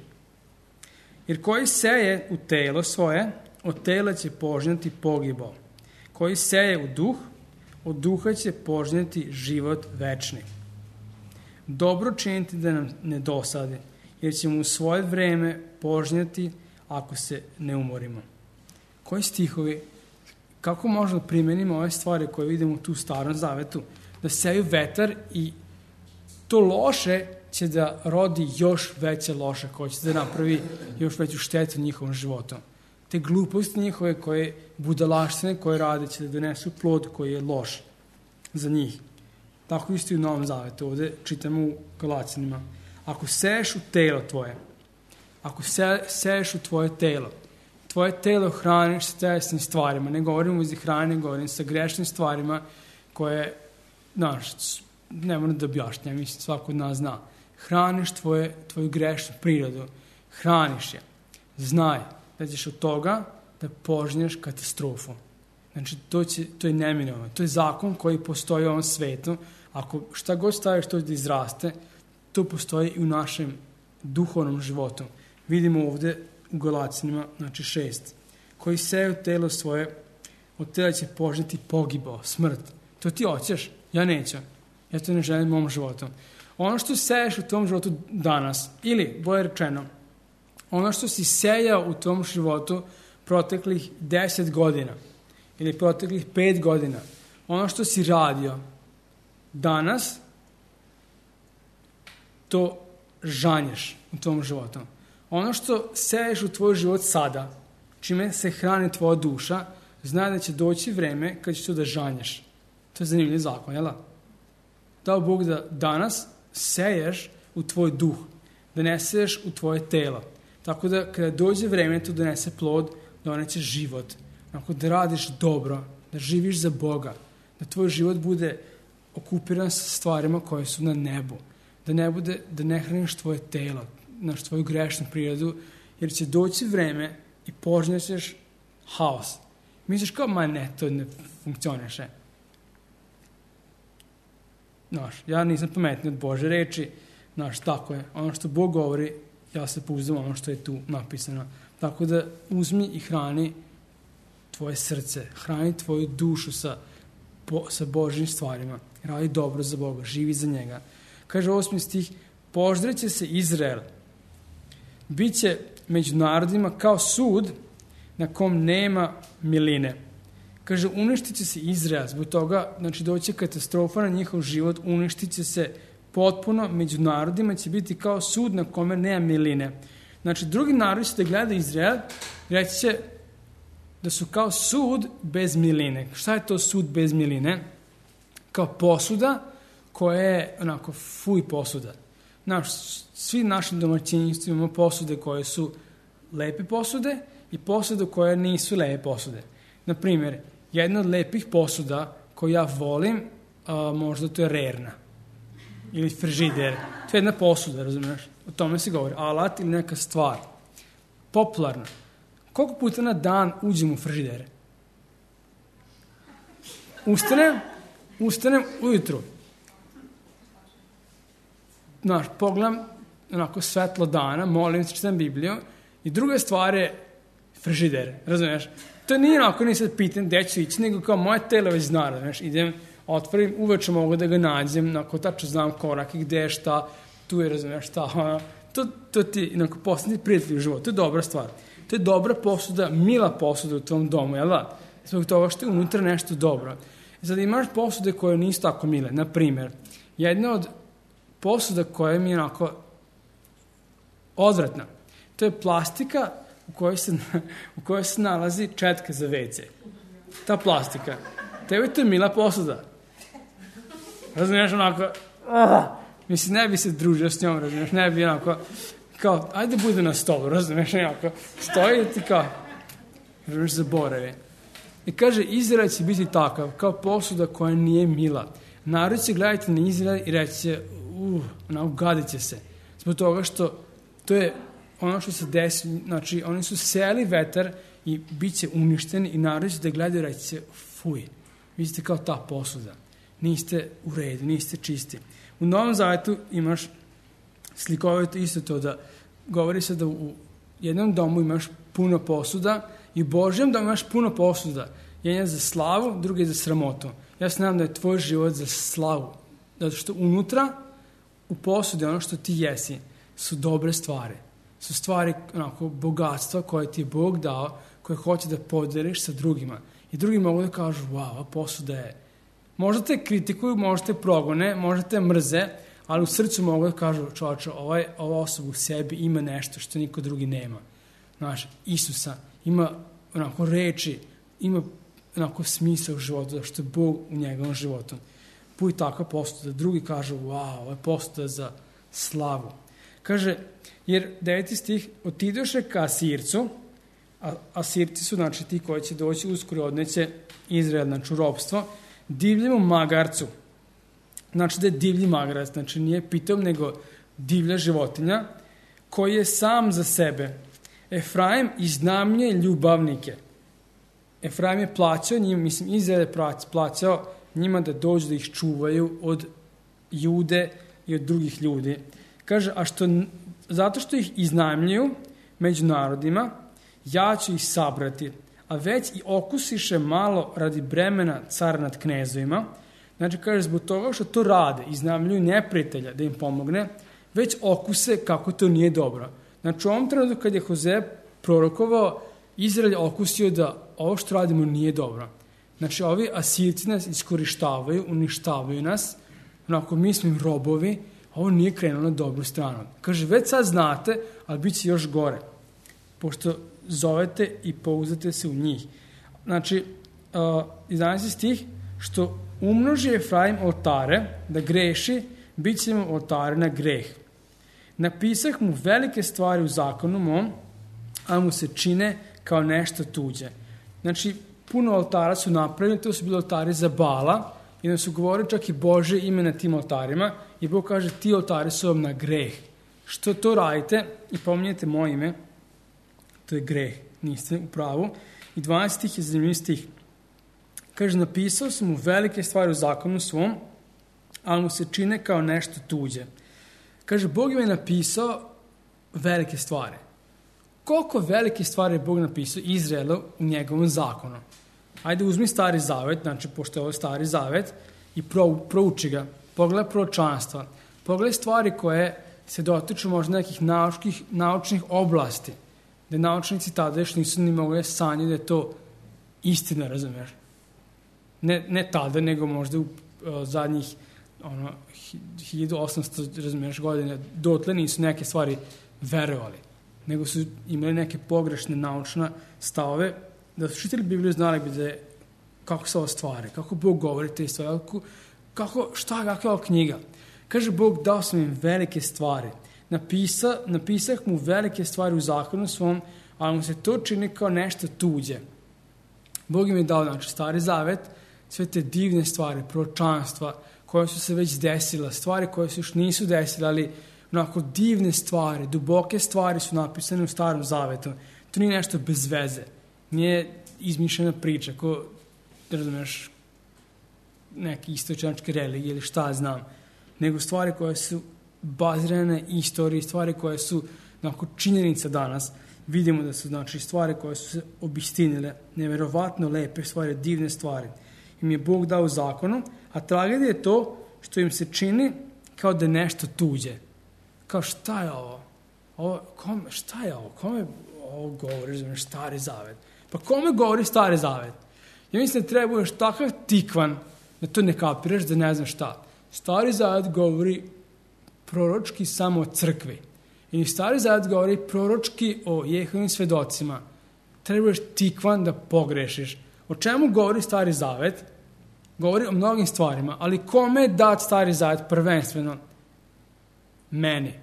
Jer koji seje u telo svoje, od tela će požnjati pogibao. Koji seje u duh, od duha će požnjati život večni. Dobro činiti da nam ne dosadi, jer ćemo u svoje vreme požnjati ako se ne umorimo. Koji stihovi, kako možemo primenimo ove stvari koje vidimo tu u Starom Zavetu, da seju vetar i to loše će da rodi još veće loše, koje će da napravi još veću štetu njihovom životu. Te gluposti njihove, koje budalaštine koje rade, će da donesu plod koji je loš za njih. Tako isto i u Novom Zavetu, ovde čitamo u Galaćanima. Ako seješ u telo tvoje, ako seješ u tvoje telo hraniš sa telesnim stvarima, ne govorim uzi hrane, govorim sa grešnim stvarima koje, ne moram da objašnjam, mislim, svako od nas zna. Hraniš tvoju grešnu prirodu, hraniš je. Znaj da ćeš od toga da požnješ katastrofu. Znači, to je neminovno. To je zakon koji postoji u ovom svetu. Ako šta god staviš to da izraste, to postoji i u našem duhovnom životu. Vidimo ovde u Galaćanima, znači 6. Koji seju telo svoje, od tela će požnjati pogibao, smrt. To ti hoćeš, ja neću. Ja to ne želim u mom životu. Ono što seješ u tom životu danas, ili, bolje rečeno, ono što si sejao u tom životu proteklih 10 godina, ili proteklih 5 godina, ono što si radio danas, to žanješ u tom životu. Ono što seješ u tvoj život sada, čime se hrani tvoja duša, znaj da će doći vreme kad ćeš to da žanješ. To je zanimljiv zakon, jel da? Dao Bog da danas seješ u tvoj duh, da ne seješ u tvoje telo. Tako da kada dođe vreme to donese plod, doneće život. Ako da radiš dobro, da živiš za Boga, da tvoj život bude okupiran sa stvarima koje su na nebu, da ne hraniš tvoje telo, naš tvoju grešnu prirodu, jer će doći vreme i požnjećeš haos. Misliš kao, to ne funkcioniše. Ja nisam pametniji od Bože reči, tako je. Ono što Bog govori, ja se pouzdam ono što je tu napisano. Tako da uzmi i hrani tvoje srce, hrani tvoju dušu sa Božjim stvarima. Radi dobro za Boga, živi za njega. Kaže 8. stih, poždreće se Izrael. Biće među narodima kao sud na kom nema miline. Kaže, uništit će se Izrael, zbog toga, znači doći katastrofa na njihov život, uništit će se potpuno, među narodima će biti kao sud na kome nema miline. Znači, drugi narodi će da gleda Izrael, reći će da su kao sud bez miline. Šta je to sud bez miline? Kao posuda koja je onako fuj posuda. Svi našim domaćinjstvima imamo posude koje su lepe posude i posude koje nisu lepe posude. Naprimjer, jedna od lepih posuda koju ja volim, možda to je rerna ili frižider. To je jedna posuda, razumiješ? O tome se govori. Alat ili neka stvar. Popularna. Koliko puta na dan uđem u frižidere? Ustanem ujutru. Pogledam onako svetlo dana, molim se, čitam Bibliju i druga stvar je frižider, razumiješ? To nije onako, nije sad pitan gde ću ići, nego kao moje telo već zna, razumiješ? Idem otvorim, uveče mogu da ga nađem, tačno znam korak i gde je šta, tu je, razumiješ, šta, to ti postane prijatelj u životu, to je dobra stvar. To je dobra posuda, mila posuda u tvom domu, jel da? Zbog toga što je unutra nešto dobro. Sad imaš posude koje nisu tako mile. Na primjer, jedna od posuda koja mi je odvratna, to je plastika u kojoj se nalazi četka za WC. Ta plastika. Tebi to je mila posuda. Razumiješ, mislim, ne bi se družio s njom, razumiješ, ne bi kao, ajde bude na stolu, razumiješ, stoji i ti kao, razumiješ, zaboravi. I kaže, Izrael će biti takav, kao posuda koja nije mila. Narod će gledati na Izrael i reći će, gadit će se. Zbog toga što to je ono što se desi, znači, oni su seli vetar i bit će uništeni i narod će da gledaju i reći će, fuj, vi ste kao ta posuda. Niste u redu, niste čisti. U Novom Zavetu imaš slikovito isto to da govori se da u jednom domu imaš puno posuda i u Božjem domu imaš puno posuda. Jedan je za slavu, drugi je za sramotu. Ja se nadam da je tvoj život za slavu. Zato što unutra, u posudi, ono što ti jesi, su dobre stvari. Su stvari, bogatstva koje ti je Bog dao, koje hoće da podeliš sa drugima. I drugi mogu da kažu, wow, posuda je. Možda te kritikuju, možda te progone, možda te mrze, ali u srcu mogu da kažu, čovječe, ova osoba u sebi ima nešto što niko drugi nema. Znaš, Isusa ima reči, ima smisao u životu, zato što je Bog u njegovom životu. Buj takva posuda, drugi kažu, wow, ovo je posuda za slavu. Kaže, jer 9. stih, otidoše ka Asircu, a Asirci su, znači, ti koji će doći uskoro odneće Izrael, znači, u ropstvo, divljemu magarcu. Znači da je divlji magarac, znači nije pitom, nego divlja životinja, koji je sam za sebe. Efraim iznajmljuje ljubavnike. Efraim je plaćao njim, mislim, Izrael je plaćao njima da dođu da ih čuvaju od Jude i od drugih ljudi. Kaže, zato što ih iznajmljuju među narodima, ja ću ih sabrati, a već i okusiše malo radi bremena cara nad knezovima. Znači, kaže, zbog toga što to rade, iznajmljuju neprijatelja da im pomogne, već okuse kako to nije dobro. Znači, u ovom trenutku kad je Hozea prorokovao, Izrael je okusio da ovo što radimo nije dobro. Znači, ovi Asirci nas iskorištavaju, uništavaju nas, mi smo im robovi, ovo nije krenulo na dobru stranu. Kaže, već sad znate, ali bit će još gore, pošto zovete i pouzdate se u njih. Znači, 11. stih, što umnoži Efraim oltare da greši, bit će mu oltare na greh. Napisah mu velike stvari u zakonu mom, a mu se čine kao nešto tuđe. Znači, puno oltara su napravljeni, to su bili oltari za Bala, i da su govorili čak i Bože ime na tim oltarima, i Bog kaže, ti oltari su vam na greh. Što to radite i pominjete moje ime, to je greh, niste u pravu. I 12 stih je zanimljiv stih. Kaže, napisao sam mu velike stvari u zakonu svom, ali mu se čine kao nešto tuđe. Kaže, Bog im je napisao velike stvari. Koliko velike stvari je Bog napisao Izraelu u njegovom zakonu? Ajde, uzmi Stari Zavet, znači, pošto je ovo Stari Zavet, i prouči ga. Pogledaj proročanstva. Pogledaj stvari koje se dotiču možda nekih naučnih oblasti, da naučnici tada još nisu ni mogli sanjati da je to istina, razumiješ? Ne tada, nego možda u zadnjih 1800, razumiješ, godine, dotle nisu neke stvari verovali, nego su imali neke pogrešne naučne stavove, da su čitali Bibliju, znali bi da je kako se ovo stvari, kako Bog govori te stvari, kakva je ova knjiga. Kaže, Bog dao sam im velike stvari. Napisah mu velike stvari u zakonu svom, ali mu se to čini kao nešto tuđe. Bog im je dao, znači, Stari Zavet, sve te divne stvari, proročanstva, koje su se već desile, stvari koje se još nisu desile, ali onako divne stvari, duboke stvari su napisane u Starom Zavetu. To nije nešto bez veze. Nije izmišljena priča, ko, razumeš, neke istočnjačke religije ili šta znam, nego stvari koje su bazirane istoriji, stvari koje su onako činjenica danas. Vidimo da su, znači, stvari koje su se obistinile, neverovatno lepe stvari, divne stvari. im je Bog dao u zakonu, a tragedija je to što im se čini kao da je nešto tuđe. Kao šta je ovo? Šta je ovo? Kome ovo govori, Stari zavet? Pa kome govori Stari zavet? Ja mislim da treba budeš takav tikvan da to ne kapiraš, da ne znam šta. Stari zavet govori proročki samo o crkvi. I Stari zavet govori proročki o Jehovim svedocima. Treba budeš tikvan da pogrešiš. O čemu govori Stari zavet? Govori o mnogim stvarima, ali kome je dat Stari zavet prvenstveno? Meni.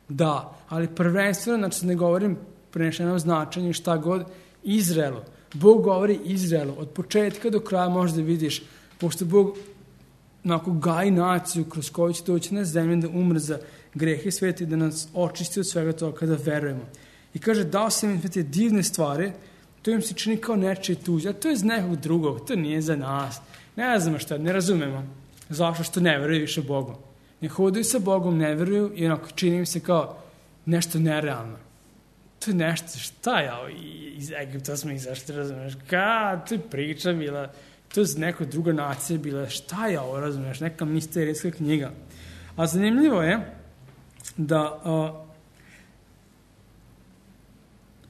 Da, ali prvenstveno, znači ne govorim prenešeno značenje šta god, Izraelu. Bog govori Izraelu. Od početka do kraja možda vidiš, pošto Bog gaji naciju kroz koju će doći na zemlju da umre za grehe sveta i da nas očisti od svega toga kada verujemo. I kaže, dao sam im te divne stvari, to im se čini kao nečije tuđe, a to je iz nekog drugog, to nije za nas. Ne znamo šta, ne razumemo. Zašto što ne veruju više Bogom. Ne hodaju sa Bogom, ne veruju i onako čini im se kao nešto nerealno. To je nešto, šta je ovo? Iz Egipta smo izašli, razumeš? To je priča bila, to je neka druga nacija bila, šta je ovo, razumeš? Neka misterijska knjiga. A zanimljivo je da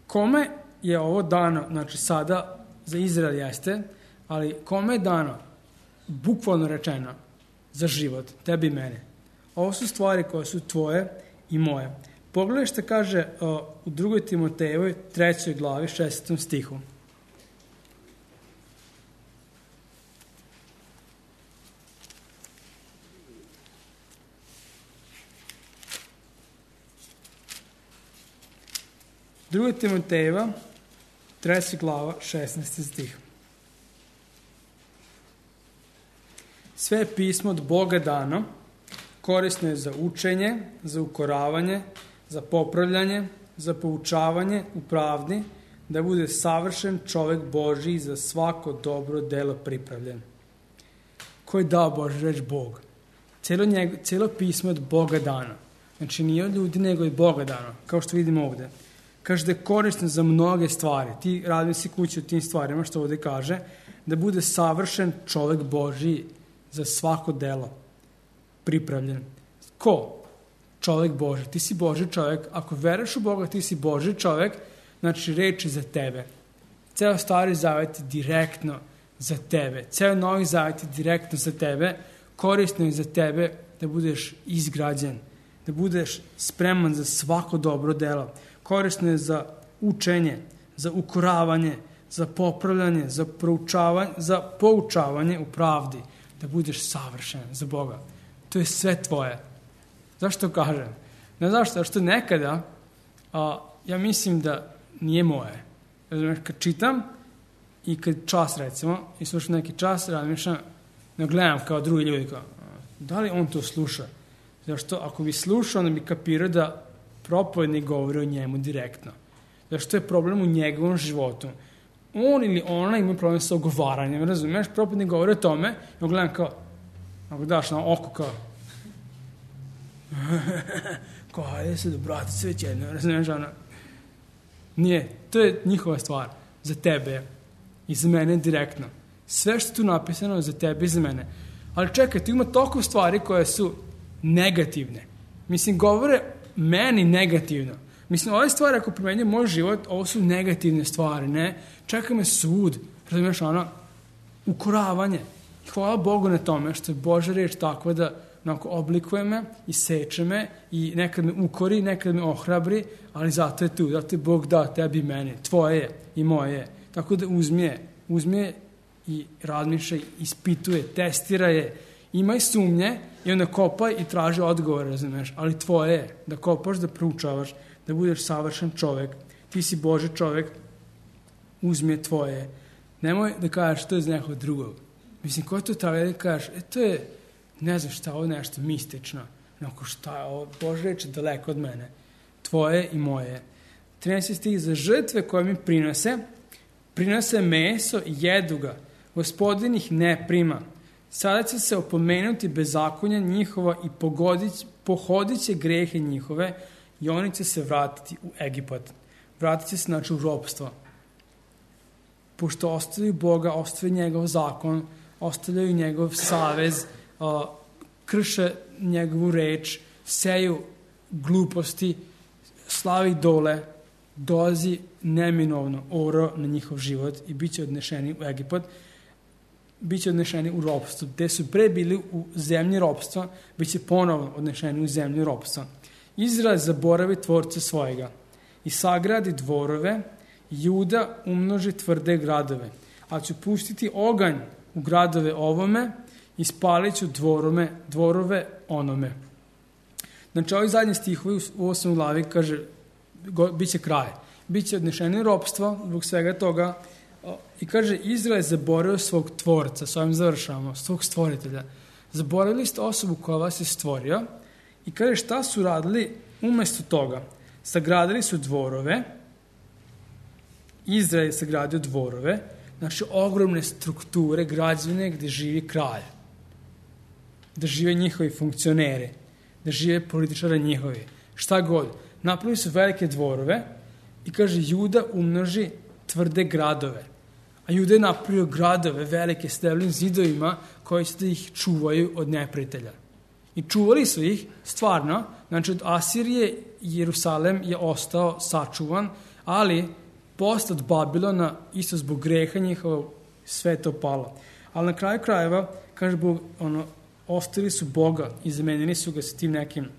kome je ovo dano, znači sada za Izrael jeste, ali kome je dano, bukvalno rečeno, za život, tebi i mene. Ovo su stvari koje su tvoje i moje. Pogledaj što kaže u 2. Timotejevoj 3. glavi 6. stihu. Druga Timotejeva 3. glava 16. stih. Sve je pismo od Boga dano, korisno je za učenje, za ukoravanje, za popravljanje, za poučavanje u pravdi, da bude savršen čovek Božji za svako dobro delo pripravljen. Ko je dao Božju reč? Bog. Cijelo pismo je od Boga dano. Znači nije od ljudi, nego je Boga dano, kao što vidimo ovde. Kaže da je korisno za mnoge stvari. Ti radi si kući u tim stvarima, što ovde kaže, da bude savršen čovek Božji za svako delo pripravljen. Ko? Čovek Božji. Ti si Božji čovek. Ako veruješ u Boga, ti si Božji čovek, znači reč je za tebe. Ceo Stari zavet je direktno za tebe. Ceo Novi zavet je direktno za tebe. Korisno je za tebe da budeš izgrađen, da budeš spreman za svako dobro delo. Korisno je za učenje, za ukoravanje, za popravljanje, za poučavanje u pravdi, da budeš savršen za Boga. To je sve tvoje. Zašto kažem? Ne zašto, zašto nekada ja mislim da nije moje. Razumiješ, kad čitam i kad čas recimo, i slušam neki čas, razmišljam, ne gledam kao drugi ljudi, kao, da li on to sluša? Zašto, ako bi slušao, onda bi kapirao da propovednik govori o njemu direktno. Zašto je problem u njegovom životu? On ili ona ima problem sa ogovaranjem, razumiješ? Propovednik govori o tome, ja gledam kao, ako daš na oko kao, kao, hajde se dobrati sve već jedno, razumiješ, ona. Nije, to je njihova stvar, za tebe i za mene direktno. Sve što je tu napisano je za tebe i za mene. Ali čekaj, tu ima toliko stvari koje su negativne. Mislim, govore meni negativno. Mislim, ove stvari, ako primenjaju moj život, ovo su negativne stvari, ne? Čeka me sud, razumiješ, ono, ukoravanje. Hvala Bogu na tome što je Božja reč takva da onako oblikuje me i seče me i nekad me ukori, nekad me ohrabri, ali zato je tu, zato je Bog dao tebi i meni, tvoje je i moje je. Tako da uzmi je i razmišljaj, ispituje, testira je, imaj sumnje i onda kopaj i traži odgovor, razumiješ, ali tvoje je da kopaš, da proučavaš, da budeš savršen čovek, ti si Božji čovek, uzmi je tvoje. Nemoj da kažeš to je iz nekog drugog. Mislim, ko to treba da kažeš, to je, ne znam šta, ovo je nešto mistično, onako šta je ovo, Božja reč je daleko od mene, tvoje i moje. 13. stih, za žrtve koje mi prinose meso i jedu ga, Gospodin ih ne prima. Sada će se opomenuti bezakonja njihova i pohodit će grehe njihove i oni će se vratiti u Egipat. Vratit će se, znači, u ropstvo. Pošto ostavaju Boga, ostavaju njegov zakon, ostavljaju njegov savez, krše njegovu reč, seju gluposti, slavi dole, dolazi neminovno oro na njihov život i bit će odnešeni u Egipat, bit će odnešeni u ropstvo. Gde su pre bili u zemlji ropstva, bit će ponovno odnešeni u zemlju ropstva. Izrael zaboravi tvorca svojega i sagradi dvorove, Juda umnoži tvrde gradove, a ću pustiti oganj u gradove ovome i spalit ću dvorove onome. Znači, ovi zadnji stihovi u 8. glavi kaže, bit će kraj. Biće odnešeni ropstvo zbog svega toga i kaže, Izrael je zaboravio svog tvorca, s ovim završavamo, svog stvoritelja. Zaboravili ste osobu koja vas je stvorio i kaže, šta su radili umesto toga? Sagradili su dvorove, Izrael je sagradio dvorove, znači ogromne strukture građevine gde živi kralj, da žive njihovi funkcioneri, da žive političari njihovi, šta god. Napravili su velike dvorove i kaže, Juda umnoži tvrde gradove. A Juda je napravio gradove velike s deblim zidovima koji će da ih čuvaju od neprijatelja. I čuvali su ih stvarno, znači od Asirije Jerusalem je ostao sačuvan, ali posle od Babilona, isto zbog greha njihovog, sve to palo. Ali na kraju krajeva, kaže Bog, ostavili su Boga i zamenili su ga sa tim nekim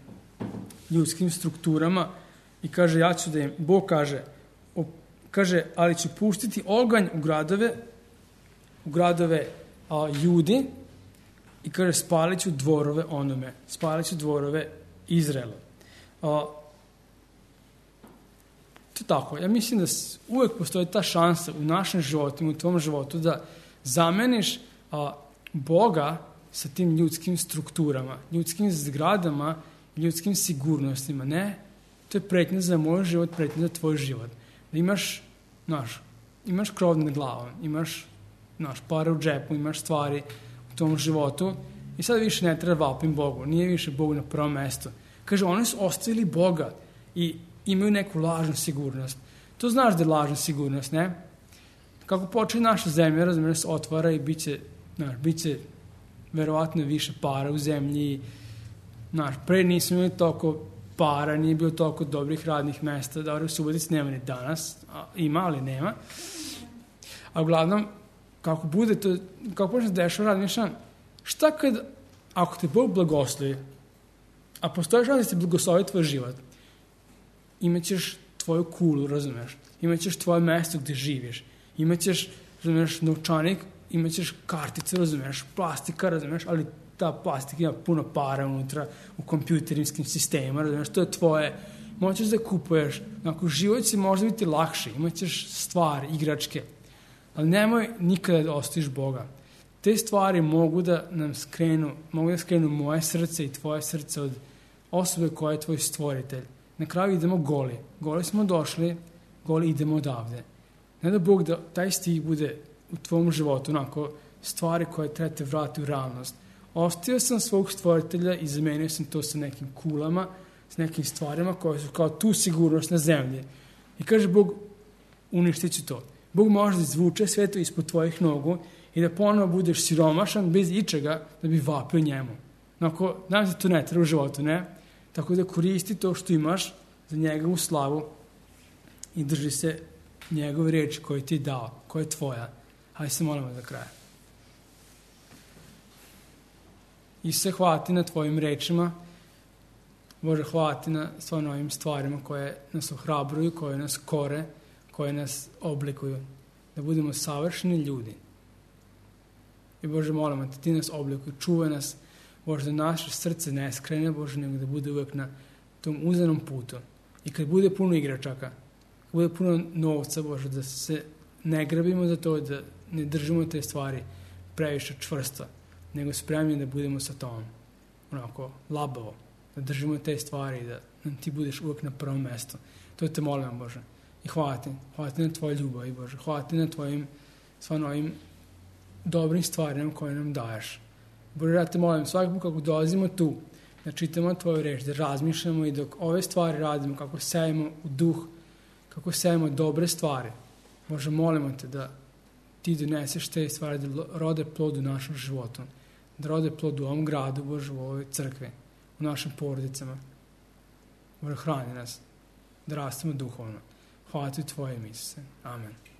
ljudskim strukturama i kaže, ja ću da im, Bog kaže, ali ću pustiti oganj u gradove Judi i kaže, spalit ću dvorove onome, spalit ću dvorove Izraela. To je tako. Ja mislim da uvek postoji ta šansa u našem životu, u tvom životu, da zameniš Boga sa tim ljudskim strukturama, ljudskim zgradama, ljudskim sigurnostima. Ne, to je pretnja za moj život, pretnja za tvoj život. Da imaš krov nad glavom, imaš pare u džepu, imaš stvari u tom životu i sad više ne treba vapim Bogu. Nije više Bog na prvom mestu. Kaže, oni su ostavili Boga i imaju neku lažnu sigurnost. To znaš da je lažna sigurnost, ne? Kako počne naša zemlja, razumiješ, se otvara i bit će verovatno više para u zemlji. Pre nismo imali toliko para, nije bilo toliko dobrih radnih mesta. Dobro, u Subotici nema ni danas. Ima, ali nema. A uglavnom, kako bude to, kako počne se dešava, razmišljam, šta ako te Bog blagoslovi, a postoji šansa da ti blagoslovi tvoj život, imaćeš tvoju kulu, razumeš? Imaćeš tvoje mesto gde živiš. Imaćeš, razumeš, novčanik, imaćeš kartice, razumeš, plastika, razumeš, ali ta plastika ima puno para unutra u kompjuterijskim sistemima, razumeš, to je tvoje. Možeš da kupuješ, život će možda biti lakši, imaćeš stvari, igračke, ali nemoj nikada da ostaviš Boga. Te stvari mogu da skrenu moje srce i tvoje srce od osobe koja je tvoj stvoritelj. Na kraju idemo goli. Goli smo došli, goli idemo odavde. Ne da Bog da taj stih bude u tvom životu, stvari koje treba te vrati u realnost. Ostavio sam svog stvoritelja i zamenio sam to sa nekim kulama, s nekim stvarima koje su kao tu sigurnost na zemlji. I kaže Bog, uništit ću to. Bog može da izvuče sve to ispod tvojih nogu i da ponovo budeš siromašan bez ičega da bi vapio njemu. Znam se to ne treba u životu, ne? Tako da koristi to što imaš za njegovu slavu i drži se njegove reči koje ti je dao, koja je tvoja. Hajde se molimo za kraj. Isuse, hvala ti na tvojim rečima. Bože, hvala ti na svojim ovim stvarima koje nas ohrabruju, koje nas kore, koje nas oblikuju. Da budemo savršeni ljudi. I Bože, molimo te, ti nas oblikuj, čuvaj nas, Bože, da naše srce ne skrene, Bože, nego da bude uvek na tom uzanom putu. I kad bude puno igračaka, kad bude puno novca, Bože, da se ne grabimo za to, da ne držimo te stvari previše čvrsto, nego spremni da budemo sa tom, labavo, da držimo te stvari i da nam ti budeš uvek na prvom mestu. To te molim, Bože. I hvala ti na tvoju ljubav, Bože. Hvala ti na tvojim stvarno ovim dobrim stvarima koje nam daješ. Bože, ja te molim, svakako kako dolazimo tu, da čitamo tvoju reč, da razmišljamo i dok ove stvari radimo, kako sejemo u duh, kako sejemo dobre stvari. Bože, molimo te da ti doneseš te stvari da rode plod u našem životu, da rode plod u ovom gradu, Bože, u ovoj crkvi, u našim porodicama. Bože, hrani nas, da rastemo duhovno. Hvala ti u Tvoje ime, Isuse. Amen.